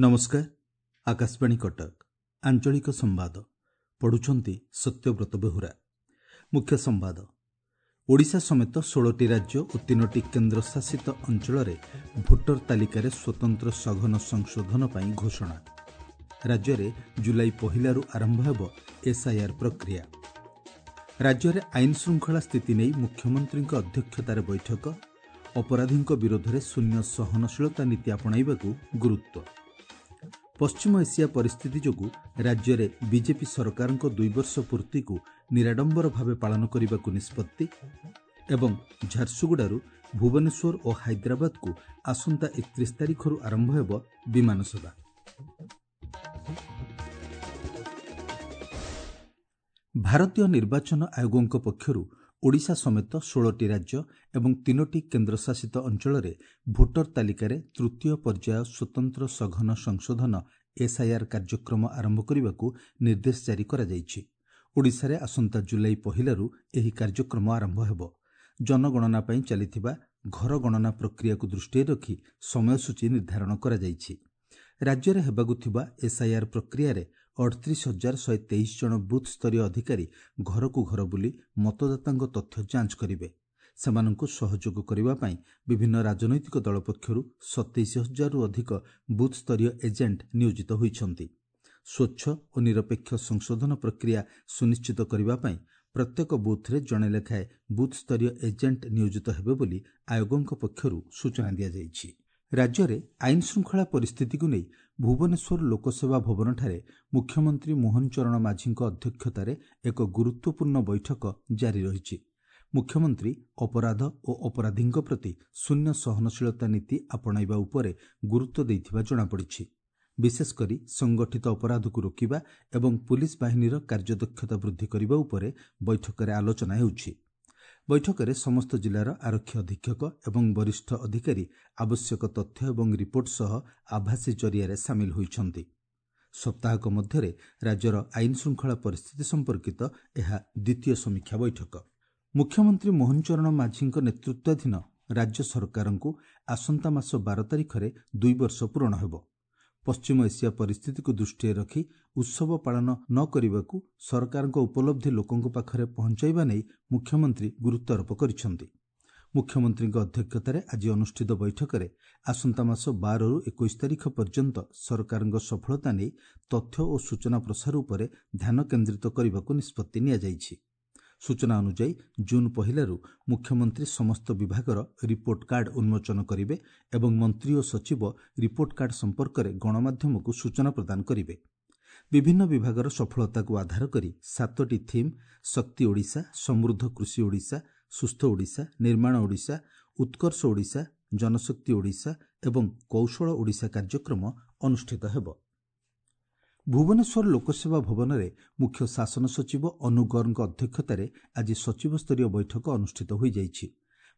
ନମସ୍କାର, ଆକାଶବାଣୀ କଟକ, ଆଞ୍ଚଳିକ ସମ୍ବାଦ ପଢୁଛନ୍ତି ସତ୍ୟବ୍ରତ ବେହୁରା। ମୁଖ୍ୟ ସମ୍ବାଦ। ଓଡ଼ିଶା ସମେତ 16ଟି ରାଜ୍ୟ ଓ 3ଟି କେନ୍ଦ୍ରଶାସିତ ଅଞ୍ଚଳରେ ଭୋଟର ତାଲିକାରେ ସ୍ୱତନ୍ତ୍ର ସଘନ ସଂଶୋଧନ ପାଇଁ ଘୋଷଣା। ରାଜ୍ୟରେ ଜୁଲାଇ 1ରୁ ଆରମ୍ଭ ହେବ ଏସ୍ଆଇଆର୍ ପ୍ରକ୍ରିୟା। ରାଜ୍ୟରେ ଆଇନ ଶୃଙ୍ଖଳା ସ୍ଥିତି ନେଇ ମୁଖ୍ୟମନ୍ତ୍ରୀଙ୍କ ଅଧ୍ୟକ୍ଷତାରେ ବୈଠକ। ଅପରାଧୀଙ୍କ ବିରୋଧରେ ଶୂନ୍ୟ ସହନଶୀଳତା ନୀତି ଆପଣାଇବାକୁ ଗୁରୁତ୍ୱ। ପଶ୍ଚିମ ଏସିଆ ପରିସ୍ଥିତି ଯୋଗୁଁ ରାଜ୍ୟରେ ବିଜେପି ସରକାରଙ୍କ 2 ବର୍ଷ ପୂର୍ତ୍ତିକୁ ନିରାଡମ୍ବର ଭାବେ ପାଳନ କରିବାକୁ ନିଷ୍ପତ୍ତି। ଏବଂ ଝାରସୁଗୁଡ଼ାରୁ ଭୁବନେଶ୍ୱର ଓ ହାଇଦ୍ରାବାଦକୁ ଆସନ୍ତା 31 ତାରିଖରୁ ଆରମ୍ଭ ହେବ ବିମାନ ସେବା। ଭାରତୀୟ ନିର୍ବାଚନ ଆୟୋଗଙ୍କ ପକ୍ଷରୁ ଓଡ଼ିଶା ସମେତ 16ଟି ରାଜ୍ୟ ଏବଂ 3ଟି କେନ୍ଦ୍ରଶାସିତ ଅଞ୍ଚଳରେ ଭୋଟର ତାଲିକାରେ ତୃତୀୟ ପର୍ଯ୍ୟାୟ ସ୍ୱତନ୍ତ୍ର ସଘନ ସଂଶୋଧନ ଏସ୍ଆଇଆର୍ କାର୍ଯ୍ୟକ୍ରମ ଆରମ୍ଭ କରିବାକୁ ନିର୍ଦ୍ଦେଶ ଜାରି କରାଯାଇଛି। ଓଡ଼ିଶାରେ ଆସନ୍ତା ଜୁଲାଇ 1ରୁ ଏହି କାର୍ଯ୍ୟକ୍ରମ ଆରମ୍ଭ ହେବ। ଜନଗଣନା ପାଇଁ ଚାଲିଥିବା ଘର ଗଣନା ପ୍ରକ୍ରିୟାକୁ ଦୃଷ୍ଟିରେ ରଖି ସମୟସୂଚୀ ନିର୍ଦ୍ଧାରଣ କରାଯାଇଛି। ରାଜ୍ୟରେ ହେବାକୁ ଥିବା ଏସ୍ଆଇଆର୍ ପ୍ରକ୍ରିୟାରେ 38,123 ଜଣ ବୁଥ୍ ସ୍ତରୀୟ ଅଧିକାରୀ ଘରକୁ ଘର ବୁଲି ମତଦାତାଙ୍କ ତଥ୍ୟ ଯାଞ୍ଚ କରିବେ। ସେମାନଙ୍କୁ ସହଯୋଗ କରିବା ପାଇଁ ବିଭିନ୍ନ ରାଜନୈତିକ ଦଳ ପକ୍ଷରୁ 27,000ରୁ ଅଧିକ ବୁଥ୍ ସ୍ତରୀୟ ଏଜେଣ୍ଟ ନିୟୋଜିତ ହୋଇଛନ୍ତି। ସ୍ୱଚ୍ଛ ଓ ନିରପେକ୍ଷ ସଂଶୋଧନ ପ୍ରକ୍ରିୟା ସୁନିଶ୍ଚିତ କରିବା ପାଇଁ ପ୍ରତ୍ୟେକ ବୁଥ୍ରେ ଜଣେ ଲେଖାଏଁ ବୁଥ୍ ସ୍ତରୀୟ ଏଜେଣ୍ଟ ନିୟୋଜିତ ହେବେ ବୋଲି ଆୟୋଗଙ୍କ ପକ୍ଷରୁ ସୂଚନା ଦିଆଯାଇଛି। ରାଜ୍ୟରେ ଆଇନ ଶୃଙ୍ଖଳା ପରିସ୍ଥିତିକୁ ନେଇ ଭୁବନେଶ୍ୱର ଲୋକସେବା ଭବନଠାରେ ମୁଖ୍ୟମନ୍ତ୍ରୀ ମୋହନ ଚରଣ ମାଝୀଙ୍କ ଅଧ୍ୟକ୍ଷତାରେ ଏକ ଗୁରୁତ୍ୱପୂର୍ଣ୍ଣ ବୈଠକ ଜାରି ରହିଛି। ମୁଖ୍ୟମନ୍ତ୍ରୀ ଅପରାଧ ଓ ଅପରାଧୀଙ୍କ ପ୍ରତି ଶୂନ୍ୟ ସହନଶୀଳତା ନୀତି ଆପଣାଇବା ଉପରେ ଗୁରୁତ୍ୱ ଦେଇଥିବା ଜଣାପଡ଼ିଛି। ବିଶେଷକରି ସଂଗଠିତ ଅପରାଧକୁ ରୋକିବା ଏବଂ ପୁଲିସ୍ ବାହିନୀର କାର୍ଯ୍ୟଦକ୍ଷତା ବୃଦ୍ଧି କରିବା ଉପରେ ବୈଠକରେ ଆଲୋଚନା ହେଉଛି। ବୈଠକରେ ସମସ୍ତ ଜିଲ୍ଲାର ଆରକ୍ଷୀ ଅଧୀକ୍ଷକ ଏବଂ ବରିଷ୍ଠ ଅଧିକାରୀ ଆବଶ୍ୟକ ତଥ୍ୟ ଏବଂ ରିପୋର୍ଟ ସହ ଆଭାସୀ ଜରିଆରେ ସାମିଲ ହୋଇଛନ୍ତି। ସପ୍ତାହକ ମଧ୍ୟରେ ରାଜ୍ୟର ଆଇନ ଶୃଙ୍ଖଳା ପରିସ୍ଥିତି ସମ୍ପର୍କିତ ଏହା ଦ୍ୱିତୀୟ ସମୀକ୍ଷା ବୈଠକ। ମୁଖ୍ୟମନ୍ତ୍ରୀ ମୋହନ ଚରଣ ମାଝୀଙ୍କ ନେତୃତ୍ୱାଧୀନ ରାଜ୍ୟ ସରକାରଙ୍କୁ ଆସନ୍ତା ମାସ 12 ତାରିଖରେ 2 ବର୍ଷ ପୂରଣ ହେବ। ପଶ୍ଚିମ ଏସିଆ ପରିସ୍ଥିତିକୁ ଦୃଷ୍ଟିରେ ରଖି ଉତ୍ସବ ପାଳନ ନ କରିବାକୁ ସରକାରଙ୍କ ଉପଲବ୍ଧି ଲୋକଙ୍କ ପାଖରେ ପହଞ୍ଚାଇବା ନେଇ ମୁଖ୍ୟମନ୍ତ୍ରୀ ଗୁରୁତ୍ୱାରୋପ କରିଛନ୍ତି। ମୁଖ୍ୟମନ୍ତ୍ରୀଙ୍କ ଅଧ୍ୟକ୍ଷତାରେ ଆଜି ଅନୁଷ୍ଠିତ ବୈଠକରେ ଆସନ୍ତା ମାସ 12ରୁ 21 ତାରିଖ ପର୍ଯ୍ୟନ୍ତ ସରକାରଙ୍କ ସଫଳତା ନେଇ ତଥ୍ୟ ଓ ସୂଚନା ପ୍ରସାର ଉପରେ ଧ୍ୟାନ କେନ୍ଦ୍ରିତ କରିବାକୁ ନିଷ୍ପତ୍ତି ନିଆଯାଇଛି। ସୂଚନା ଅନୁଯାୟୀ ଜୁନ୍ 1ରୁ ମୁଖ୍ୟମନ୍ତ୍ରୀ ସମସ୍ତ ବିଭାଗର ରିପୋର୍ଟ କାର୍ଡ ଉନ୍ମୋଚନ କରିବେ ଏବଂ ମନ୍ତ୍ରୀ ଓ ସଚିବ ରିପୋର୍ଟ କାର୍ଡ ସମ୍ପର୍କରେ ଗଣମାଧ୍ୟମକୁ ସୂଚନା ପ୍ରଦାନ କରିବେ। ବିଭିନ୍ନ ବିଭାଗର ସଫଳତାକୁ ଆଧାର କରି 7ଟି ଥିମ୍ ଶକ୍ତି ଓଡ଼ିଶା, ସମୃଦ୍ଧ କୃଷି ଓଡ଼ିଶା, ସୁସ୍ଥ ଓଡ଼ିଶା, ନିର୍ମାଣ ଓଡ଼ିଶା, ଉତ୍କର୍ଷ ଓଡ଼ିଶା, ଜନଶକ୍ତି ଓଡ଼ିଶା ଏବଂ କୌଶଳ ଓଡ଼ିଶା କାର୍ଯ୍ୟକ୍ରମ ଅନୁଷ୍ଠିତ ହେବ। ଭୁବନେଶ୍ୱର ଲୋକସେବା ଭବନରେ ମୁଖ୍ୟ ଶାସନ ସଚିବ ଅନୁ ଗର୍ଗଙ୍କ ଅଧ୍ୟକ୍ଷତାରେ ଆଜି ସଚିବସ୍ତରୀୟ ବୈଠକ ଅନୁଷ୍ଠିତ ହୋଇଯାଇଛି।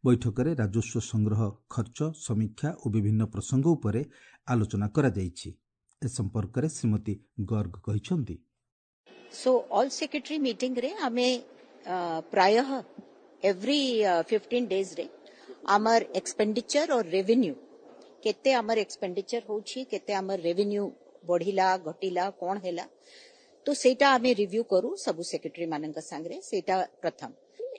ବୈଠକରେ ରାଜସ୍ୱ ସଂଗ୍ରହ, ଖର୍ଚ୍ଚ ସମୀକ୍ଷା ଓ ବିଭିନ୍ନ ପ୍ରସଙ୍ଗ ଉପରେ ଆଲୋଚନା କରାଯାଇଛି। ଏ ସମ୍ପର୍କରେ ଶ୍ରୀମତୀ ଗର୍ଗ କହିଛନ୍ତି, ସୋ ଅଲ୍ ସେକ୍ରେଟାରୀ ମିଟିଂରେ ଆମେ ପ୍ରାୟଃ ଏଭ୍ରି 15 ଡେଜ୍ରେ ଆମର ଏକ୍ସପେଣ୍ଡିଚର ଓ ରେଭିନ୍ୟୁ, କେତେ ଆମର ଏକ୍ସପେଣ୍ଡିଚର ହେଉଛି, କେତେ ଆମର ରେଭିନ୍ୟୁ ବଢିଲା ଘଟିଲା କ'ଣ ହେଲା, ତ ସେଇଟା ଆମେ ରିଭ୍ୟୁ କରୁ ସବୁ ସେକ୍ରେଟାରୀ ମାନଙ୍କ ସାଙ୍ଗରେ। ସେଇଟା ପ୍ରଥମ।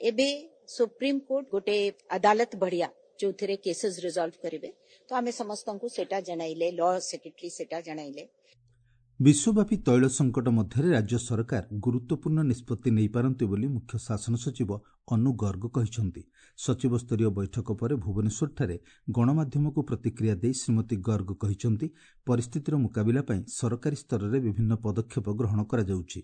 ଏବେ ସୁପ୍ରିମକୋର୍ଟ ଗୋଟେ ଅଦାଲତ ବଢିଆ ଯୋଉଥିରେ କେସେସ୍ ରିଜଲ୍ଭ କରିବେ, ତ ଆମେ ସମସ୍ତଙ୍କୁ ସେଇଟା ଜଣାଇଲେ, ଲ ସେକ୍ରେଟାରୀ ସେଇଟା ଜଣାଇଲେ। ବିଶ୍ୱବ୍ୟାପୀ ତୈଳ ସଙ୍କଟ ମଧ୍ୟରେ ରାଜ୍ୟ ସରକାର ଗୁରୁତ୍ୱପୂର୍ଣ୍ଣ ନିଷ୍ପତ୍ତି ନେଇପାରନ୍ତି ବୋଲି ମୁଖ୍ୟ ଶାସନ ସଚିବ ଅନୁ ଗର୍ଗ କହିଛନ୍ତି। ସଚିବସ୍ତରୀୟ ବୈଠକ ପରେ ଭୁବନେଶ୍ୱରଠାରେ ଗଣମାଧ୍ୟମକୁ ପ୍ରତିକ୍ରିୟା ଦେଇ ଶ୍ରୀମତୀ ଗର୍ଗ କହିଛନ୍ତି, ପରିସ୍ଥିତିର ମୁକାବିଲା ପାଇଁ ସରକାରୀ ସ୍ତରରେ ବିଭିନ୍ନ ପଦକ୍ଷେପ ଗ୍ରହଣ କରାଯାଉଛି।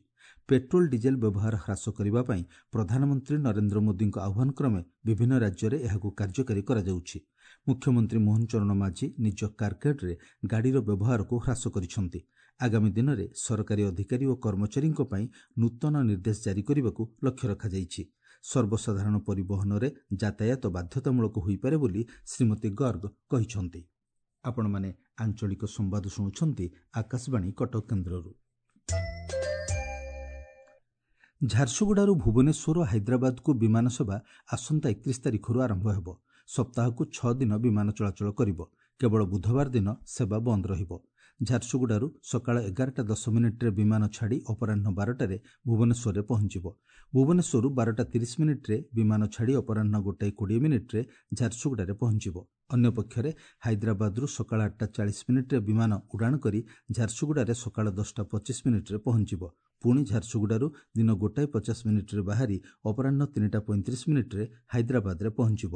ପେଟ୍ରୋଲ ଡିଜେଲ ବ୍ୟବହାର ହ୍ରାସ କରିବା ପାଇଁ ପ୍ରଧାନମନ୍ତ୍ରୀ ନରେନ୍ଦ୍ର ମୋଦିଙ୍କ ଆହ୍ୱାନ କ୍ରମେ ବିଭିନ୍ନ ରାଜ୍ୟରେ ଏହାକୁ କାର୍ଯ୍ୟକାରୀ କରାଯାଉଛି। ମୁଖ୍ୟମନ୍ତ୍ରୀ ମୋହନ ଚରଣ ମାଝୀ ନିଜ କାରକେଡ୍ରେ ଗାଡ଼ିର ବ୍ୟବହାରକୁ ହ୍ରାସ କରିଛନ୍ତି। ଆଗାମୀ ଦିନରେ ସରକାରୀ ଅଧିକାରୀ ଓ କର୍ମଚାରୀଙ୍କ ପାଇଁ ନୂତନ ନିର୍ଦ୍ଦେଶ ଜାରି କରିବାକୁ ଲକ୍ଷ୍ୟ ରଖାଯାଇଛି। ସର୍ବସାଧାରଣ ପରିବହନରେ ଯାତାୟାତ ବାଧ୍ୟତାମୂଳକ ହୋଇପାରେ ବୋଲି ଶ୍ରୀମତୀ ଗର୍ଗ କହିଛନ୍ତି। ଆପଣମାନେ ଆଞ୍ଚଳିକ ସମ୍ବାଦ ଶୁଣୁଛନ୍ତି ଆକାଶବାଣୀ କଟକ କେନ୍ଦ୍ରରୁ। ଝାରସୁଗୁଡ଼ାରୁ ଭୁବନେଶ୍ୱର ଓ ହାଇଦ୍ରାବାଦକୁ ବିମାନ ସେବା ଆସନ୍ତା 31 ତାରିଖରୁ ଆରମ୍ଭ ହେବ। ସପ୍ତାହକୁ 6 ଦିନ ବିମାନ ଚଳାଚଳ କରିବ। କେବଳ ବୁଧବାର ଦିନ ସେବା ବନ୍ଦ ରହିବ। ଝାରସୁଗୁଡ଼ାରୁ ସକାଳ 11ଟା 10 ମିନିଟ୍ରେ ବିମାନ ଛାଡ଼ି ଅପରାହ୍ନ 12ଟାରେ ଭୁବନେଶ୍ୱରରେ ପହଞ୍ଚିବ। ଭୁବନେଶ୍ୱରରୁ 12ଟା 30 ମିନିଟ୍ରେ ବିମାନ ଛାଡ଼ି ଅପରାହ୍ନ 1ଟା 20 ମିନିଟ୍ରେ ଝାରସୁଗୁଡ଼ାରେ ପହଞ୍ଚିବ। ଅନ୍ୟପକ୍ଷରେ ହାଇଦ୍ରାବାଦରୁ ସକାଳ 8ଟା 40 ମିନିଟ୍ରେ ବିମାନ ଉଡ଼ାଣ କରି ଝାରସୁଗୁଡ଼ାରେ ସକାଳ 10ଟା 25 ମିନିଟ୍ରେ ପହଞ୍ଚିବ। ପୁଣି ଝାରସୁଗୁଡ଼ାରୁ ଦିନ 1ଟା 50 ମିନିଟ୍ରେ ବାହାରି ଅପରାହ୍ନ 3ଟା 35 ମିନିଟ୍ରେ ହାଇଦ୍ରାବାଦରେ ପହଞ୍ଚିବ।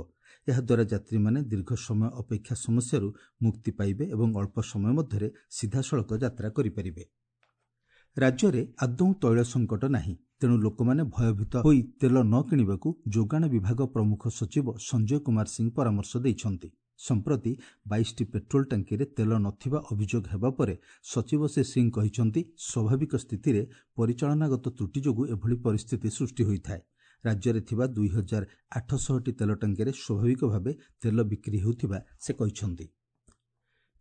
ଏହାଦ୍ୱାରା ଯାତ୍ରୀମାନେ ଦୀର୍ଘ ସମୟ ଅପେକ୍ଷା ସମସ୍ୟାରୁ ମୁକ୍ତି ପାଇବେ ଏବଂ ଅଳ୍ପ ସମୟ ମଧ୍ୟରେ ସିଧାସଳଖ ଯାତ୍ରା କରିପାରିବେ। ରାଜ୍ୟରେ ଆଦୌ ତୈଳ ସଙ୍କଟ ନାହିଁ, ତେଣୁ ଲୋକମାନେ ଭୟଭୀତ ହୋଇ ତେଲ ନ କିଣିବାକୁ ଯୋଗାଣ ବିଭାଗ ପ୍ରମୁଖ ସଚିବ ସଞ୍ଜୟ କୁମାର ସିଂ ପରାମର୍ଶ ଦେଇଛନ୍ତି। ସମ୍ପ୍ରତି 22ଟି ପେଟ୍ରୋଲ ଟାଙ୍କିରେ ତେଲ ନଥିବା ଅଭିଯୋଗ ହେବା ପରେ ସଚିବ ଶ୍ରୀ ସିଂ କହିଛନ୍ତି, ସ୍ୱାଭାବିକ ସ୍ଥିତିରେ ପରିଚାଳନାଗତ ତ୍ରୁଟି ଯୋଗୁଁ ଏଭଳି ପରିସ୍ଥିତି ସୃଷ୍ଟି ହୋଇଥାଏ। ରାଜ୍ୟରେ ଥିବା 2800ଟି ତେଲ ଟାଙ୍କିରେ ସ୍ୱାଭାବିକ ଭାବେ ତେଲ ବିକ୍ରି ହେଉଥିବା ସେ କହିଛନ୍ତି।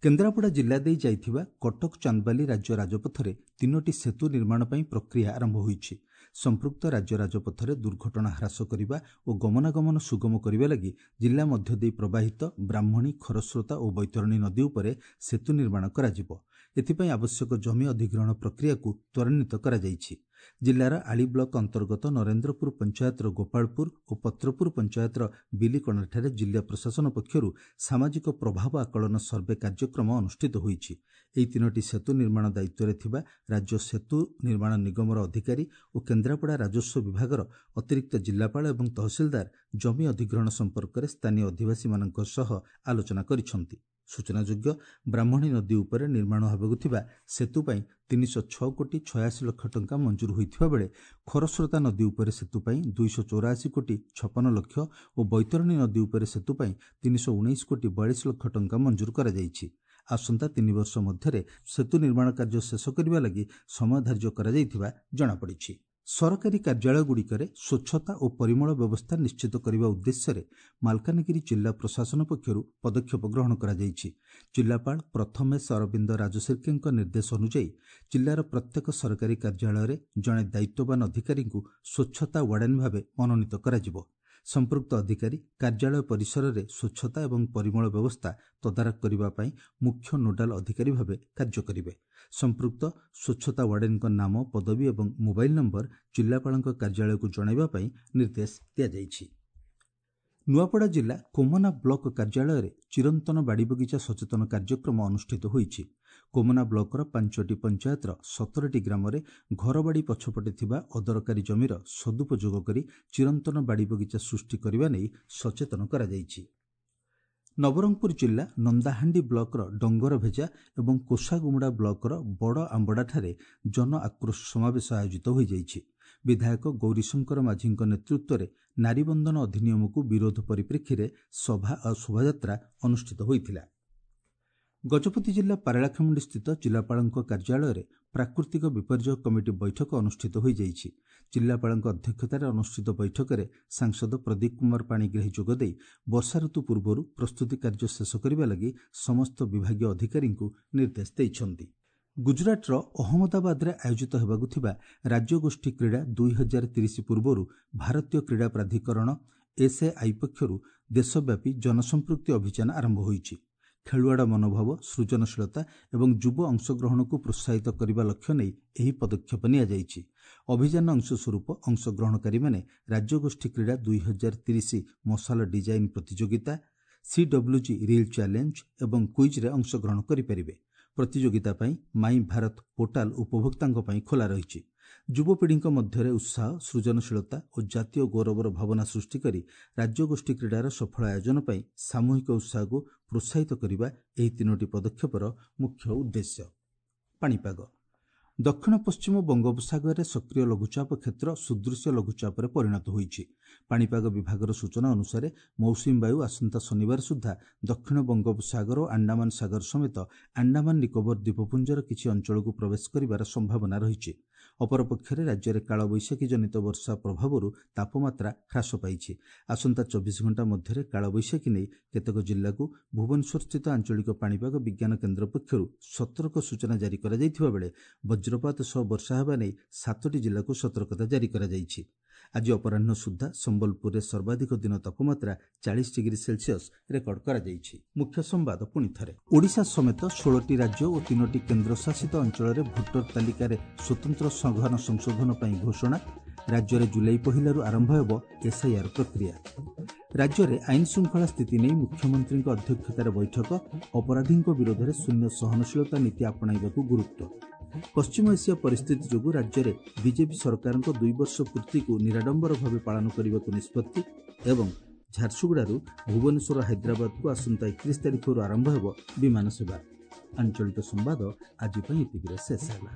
କେନ୍ଦ୍ରାପଡ଼ା ଜିଲ୍ଲା ଦେଇ ଯାଇଥିବା କଟକ ଚାନ୍ଦବାଲି ରାଜ୍ୟ ରାଜପଥରେ ତିନୋଟି ସେତୁ ନିର୍ମାଣ ପାଇଁ ପ୍ରକ୍ରିୟା ଆରମ୍ଭ ହୋଇଛି। ସମ୍ପୃକ୍ତ ରାଜ୍ୟ ରାଜପଥରେ ଦୁର୍ଘଟଣା ହ୍ରାସ କରିବା ଓ ଗମନାଗମନ ସୁଗମ କରିବା ଲାଗି ଜିଲ୍ଲା ମଧ୍ୟ ଦେଇ ପ୍ରବାହିତ ବ୍ରାହ୍ମଣୀ, ଖରସ୍ରୋତା ଓ ବୈତରଣୀ ନଦୀ ଉପରେ ସେତୁ ନିର୍ମାଣ କରାଯିବ। ଏଥିପାଇଁ ଆବଶ୍ୟକ ଜମି ଅଧିଗ୍ରହଣ ପ୍ରକ୍ରିୟାକୁ ତ୍ୱରାନ୍ୱିତ କରାଯାଇଛି। ଜିଲ୍ଲାର ଆଳି ବ୍ଲକ ଅନ୍ତର୍ଗତ ନରେନ୍ଦ୍ରପୁର ପଞ୍ଚାୟତର ଗୋପାଳପୁର ଓ ପତ୍ରପୁର ପଞ୍ଚାୟତର ବିଲିକଣାଠାରେ ଜିଲ୍ଲା ପ୍ରଶାସନ ପକ୍ଷରୁ ସାମାଜିକ ପ୍ରଭାବ ଆକଳନ ସର୍ଭେ କାର୍ଯ୍ୟକ୍ରମ ଅନୁଷ୍ଠିତ ହୋଇଛି। ଏହି ତିନୋଟି ସେତୁ ନିର୍ମାଣ ଦାୟିତ୍ୱରେ ଥିବା ରାଜ୍ୟ ସେତୁ ନିର୍ମାଣ ନିଗମର ଅଧିକାରୀ ଓ କେନ୍ଦ୍ରାପଡ଼ା ରାଜସ୍ୱ ବିଭାଗର ଅତିରିକ୍ତ ଜିଲ୍ଲାପାଳ ଏବଂ ତହସିଲଦାର ଜମି ଅଧିଗ୍ରହଣ ସମ୍ପର୍କରେ ସ୍ଥାନୀୟ ଅଧିବାସୀମାନଙ୍କ ସହ ଆଲୋଚନା କରିଛନ୍ତି। ସୂଚନାଯୋଗ୍ୟ, ବ୍ରାହ୍ମଣୀ ନଦୀ ଉପରେ ନିର୍ମାଣ ହେବାକୁ ଥିବା ସେତୁ ପାଇଁ 306 କୋଟି 86 ଲକ୍ଷ ଟଙ୍କା ମଞ୍ଜୁର ହୋଇଥିବା ବେଳେ ଖରସ୍ରୋତା ନଦୀ ଉପରେ ସେତୁ ପାଇଁ 284 କୋଟି 56 ଲକ୍ଷ ଓ ବୈତରଣୀ ନଦୀ ଉପରେ ସେତୁ ପାଇଁ 319 କୋଟି 42 ଲକ୍ଷ ଟଙ୍କା ମଞ୍ଜୁର କରାଯାଇଛି। ଆସନ୍ତା 3 ବର୍ଷ ମଧ୍ୟରେ ସେତୁ ନିର୍ମାଣ କାର୍ଯ୍ୟ ଶେଷ କରିବା ଲାଗି ସମୟ ଧାର୍ଯ୍ୟ କରାଯାଇଥିବା ଜଣାପଡ଼ିଛି। ସରକାରୀ କାର୍ଯ୍ୟାଳୟଗୁଡ଼ିକରେ ସ୍ୱଚ୍ଛତା ଓ ପରିମଳ ବ୍ୟବସ୍ଥା ନିଶ୍ଚିତ କରିବା ଉଦ୍ଦେଶ୍ୟରେ ମାଲକାନଗିରି ଜିଲ୍ଲା ପ୍ରଶାସନ ପକ୍ଷରୁ ପଦକ୍ଷେପ ଗ୍ରହଣ କରାଯାଇଛି। ଜିଲ୍ଲାପାଳ ପ୍ରଥମେଶ ଅରବିନ୍ଦ ରାଜଶିର୍କେଙ୍କ ନିର୍ଦ୍ଦେଶ ଅନୁଯାୟୀ ଜିଲ୍ଲାର ପ୍ରତ୍ୟେକ ସରକାରୀ କାର୍ଯ୍ୟାଳୟରେ ଜଣେ ଦାୟିତ୍ୱବାନ ଅଧିକାରୀଙ୍କୁ ସ୍ୱଚ୍ଛତା ୱାର୍ଡେନ୍ ଭାବେ ମନୋନୀତ କରାଯିବ। ସମ୍ପୃକ୍ତ ଅଧିକାରୀ କାର୍ଯ୍ୟାଳୟ ପରିସରରେ ସ୍ୱଚ୍ଛତା ଏବଂ ପରିମଳ ବ୍ୟବସ୍ଥା ତଦାରଖ କରିବା ପାଇଁ ମୁଖ୍ୟ ନୋଡାଲ ଅଧିକାରୀ ଭାବେ କାର୍ଯ୍ୟ କରିବେ। ସମ୍ପୃକ୍ତ ସ୍ୱଚ୍ଛତା ୱାର୍ଡେନ୍ଙ୍କ ନାମ, ପଦବୀ ଏବଂ ମୋବାଇଲ ନମ୍ବର ଜିଲ୍ଲାପାଳଙ୍କ କାର୍ଯ୍ୟାଳୟକୁ ଜଣାଇବା ପାଇଁ ନିର୍ଦ୍ଦେଶ ଦିଆଯାଇଛି। ନୂଆପଡ଼ା ଜିଲ୍ଲା କୋମନା ବ୍ଲକ କାର୍ଯ୍ୟାଳୟରେ ଚିରନ୍ତନ ବାଡ଼ିବଗିଚା ସଚେତନ କାର୍ଯ୍ୟକ୍ରମ ଅନୁଷ୍ଠିତ ହୋଇଛି। କୋମନା ବ୍ଲକର ପାଞ୍ଚଟି ପଞ୍ଚାୟତର 17ଟି ଗ୍ରାମରେ ଘରବାଡ଼ି ପଛପଟେ ଥିବା ଅଦରକାରୀ ଜମିର ସଦୁପଯୋଗ କରି ଚିରନ୍ତନ ବାଡ଼ିବଗିଚା ସୃଷ୍ଟି କରିବା ନେଇ ସଚେତନ କରାଯାଇଛି। ନବରଙ୍ଗପୁର ଜିଲ୍ଲା ନନ୍ଦାହାଣ୍ଡି ବ୍ଲକର ଡଙ୍ଗରଭେଜା ଏବଂ କୋଷାଗୁମୁଡ଼ା ବ୍ଲକର ବଡ଼ ଆମ୍ବଡ଼ାଠାରେ ଜନ ଆକ୍ରୋଶ ସମାବେଶ ଆୟୋଜିତ ହୋଇଯାଇଛି। ବିଧାୟକ ଗୌରୀଶଙ୍କର ମାଝୀଙ୍କ ନେତୃତ୍ୱରେ ନାରୀବନ୍ଦନ ଅଧିନିୟମକୁ ବିରୋଧ ପରିପ୍ରେକ୍ଷୀରେ ସଭା ଓ ଶୋଭାଯାତ୍ରା ଅନୁଷ୍ଠିତ ହୋଇଥିଲା। ଗଜପତି ଜିଲ୍ଲା ପାରଳାଖେମୁଣ୍ଡିସ୍ଥିତ ଜିଲ୍ଲାପାଳଙ୍କ କାର୍ଯ୍ୟାଳୟରେ ପ୍ରାକୃତିକ ବିପର୍ଯ୍ୟୟ କମିଟି ବୈଠକ ଅନୁଷ୍ଠିତ ହୋଇଯାଇଛି। ଜିଲ୍ଲାପାଳଙ୍କ ଅଧ୍ୟକ୍ଷତାରେ ଅନୁଷ୍ଠିତ ବୈଠକରେ ସାଂସଦ ପ୍ରଦୀପ କୁମାର ପାଣିଗ୍ରାହୀ ଯୋଗଦେଇ ବର୍ଷା ଋତୁ ପୂର୍ବରୁ ପ୍ରସ୍ତୁତି କାର୍ଯ୍ୟ ଶେଷ କରିବା ଲାଗି ସମସ୍ତ ବିଭାଗୀୟ ଅଧିକାରୀଙ୍କୁ ନିର୍ଦ୍ଦେଶ ଦେଇଛନ୍ତି। ଗୁଜରାଟର ଅହମ୍ମଦାବାଦରେ ଆୟୋଜିତ ହେବାକୁ ଥିବା ରାଜ୍ୟଗୋଷ୍ଠୀ କ୍ରୀଡ଼ା 2030 ପୂର୍ବରୁ ଭାରତୀୟ କ୍ରୀଡ଼ା ପ୍ରାଧିକରଣ ଏସ୍ଏଆଇ ପକ୍ଷରୁ ଦେଶବ୍ୟାପୀ ଜନସମ୍ପୃକ୍ତି ଅଭିଯାନ ଆରମ୍ଭ ହୋଇଛି। ଖେଳୁଆଡ଼ ମନୋଭାବ, ସୃଜନଶୀଳତା ଏବଂ ଯୁବ ଅଂଶଗ୍ରହଣକୁ ପ୍ରୋତ୍ସାହିତ କରିବା ଲକ୍ଷ୍ୟ ନେଇ ଏହି ପଦକ୍ଷେପ ନିଆଯାଇଛି। ଅଭିଯାନ ଅଂଶସ୍ୱରୂପ ଅଂଶଗ୍ରହଣକାରୀମାନେ ରାଜ୍ୟଗୋଷ୍ଠୀ କ୍ରୀଡ଼ା 2030 ମଶାଲ ଡିଜାଇନ୍ ପ୍ରତିଯୋଗିତା, ସିଡବ୍ଲ୍ୟୁଜି ରିଲ୍ ଚ୍ୟାଲେଞ୍ଜ ଏବଂ କୁଇଜ୍ରେ ଅଂଶଗ୍ରହଣ କରିପାରିବେ। ପ୍ରତିଯୋଗିତା ପାଇଁ ମାଇ ଭାରତ ପୋର୍ଟାଲ ଉପଭୋକ୍ତାଙ୍କ ପାଇଁ ଖୋଲା ରହିଛି। ଯୁବପିଢ଼ିଙ୍କ ମଧ୍ୟରେ ଉତ୍ସାହ, ସୃଜନଶୀଳତା ଓ ଜାତୀୟ ଗୌରବର ଭାବନା ସୃଷ୍ଟି କରି ରାଜ୍ୟଗୋଷ୍ଠୀ କ୍ରୀଡ଼ାର ସଫଳ ଆୟୋଜନ ପାଇଁ ସାମୂହିକ ଉତ୍ସାହକୁ ପ୍ରୋତ୍ସାହିତ କରିବା ଏହି ତିନୋଟି ପଦକ୍ଷେପର ମୁଖ୍ୟ ଉଦ୍ଦେଶ୍ୟ। ପାଣିପାଗ। ଦକ୍ଷିଣ ପଶ୍ଚିମ ବଙ୍ଗୋପସାଗରରେ ସକ୍ରିୟ ଲଘୁଚାପ କ୍ଷେତ୍ର ସୁଦୃଶ୍ୟ ଲଘୁଚାପରେ ପରିଣତ ହୋଇଛି। ପାଣିପାଗ ବିଭାଗର ସୂଚନା ଅନୁସାରେ ମୌସୁମୀ ବାୟୁ ଆସନ୍ତା ଶନିବାର ସୁଦ୍ଧା ଦକ୍ଷିଣ ବଙ୍ଗୋପସାଗର ଓ ଆଣ୍ଡାମାନ ସାଗର ସମେତ ଆଣ୍ଡାମାନ ନିକୋବର ଦ୍ୱୀପପୁଞ୍ଜର କିଛି ଅଞ୍ଚଳକୁ ପ୍ରବେଶ କରିବାର ସମ୍ଭାବନା ରହିଛି। ଅପରପକ୍ଷରେ ରାଜ୍ୟରେ କାଳବୈଶାଖୀ ଜନିତ ବର୍ଷା ପ୍ରଭାବରୁ ତାପମାତ୍ରା ହ୍ରାସ ପାଇଛି। ଆସନ୍ତା 24 ଘଣ୍ଟା ମଧ୍ୟରେ କାଳବୈଶାଖୀ ନେଇ କେତେକ ଜିଲ୍ଲାକୁ ଭୁବନେଶ୍ୱରସ୍ଥିତ ଆଞ୍ଚଳିକ ପାଣିପାଗ ବିଜ୍ଞାନ କେନ୍ଦ୍ର ପକ୍ଷରୁ ସତର୍କ ସୂଚନା ଜାରି କରାଯାଇଥିବା ବେଳେ ବଜ୍ରପାତ ସହ ବର୍ଷା ହେବା ନେଇ ସାତଟି ଜିଲ୍ଲାକୁ ସତର୍କତା ଜାରି କରାଯାଇଛି। ଆଜି ଅପରାହ୍ନ ସୁଦ୍ଧା ସମ୍ବଲପୁରରେ ସର୍ବାଧିକ ଦିନ ତାପମାତ୍ରା 40 ଡିଗ୍ରୀ ସେଲସିୟସ୍ ରେକର୍ଡ କରାଯାଇଛି। ମୁଖ୍ୟ ସମ୍ବାଦ ପୁଣି ଥରେ। ଓଡ଼ିଶା ସମେତ 16ଟି ରାଜ୍ୟ ଓ 3ଟି କେନ୍ଦ୍ରଶାସିତ ଅଞ୍ଚଳରେ ଭୋଟର ତାଲିକାରେ ସ୍ୱତନ୍ତ୍ର ସଘନ ସଂଶୋଧନ ପାଇଁ ଘୋଷଣା। ରାଜ୍ୟରେ ଜୁଲାଇ 1ରୁ ଆରମ୍ଭ ହେବ ଏସ୍ଆଇଆର୍ ପ୍ରକ୍ରିୟା। ରାଜ୍ୟରେ ଆଇନ ଶୃଙ୍ଖଳା ସ୍ଥିତି ନେଇ ମୁଖ୍ୟମନ୍ତ୍ରୀଙ୍କ ଅଧ୍ୟକ୍ଷତାରେ ବୈଠକ। ଅପରାଧୀଙ୍କ ବିରୋଧରେ ଶୂନ୍ୟ ସହନଶୀଳତା ନୀତି ଆପଣାଇବାକୁ ଗୁରୁତ୍ୱ। ପଶ୍ଚିମ ଏସିଆ ପରିସ୍ଥିତି ଯୋଗୁଁ ରାଜ୍ୟରେ ବିଜେପି ସରକାରଙ୍କ 2 ବର୍ଷ ପୂର୍ତ୍ତିକୁ ନିରାଡମ୍ବର ଭାବେ ପାଳନ କରିବାକୁ ନିଷ୍ପତ୍ତି। ଏବଂ ଝାରସୁଗୁଡ଼ାରୁ ଭୁବନେଶ୍ୱର ହାଇଦ୍ରାବାଦକୁ ଆସନ୍ତା 31 ତାରିଖରୁ ଆରମ୍ଭ ହେବ ବିମାନ ସେବା। ଆଞ୍ଚଳିକ ସମ୍ବାଦ ଆଜି ପାଇଁ ଏତିକିରେ ଶେଷ ହେଲା।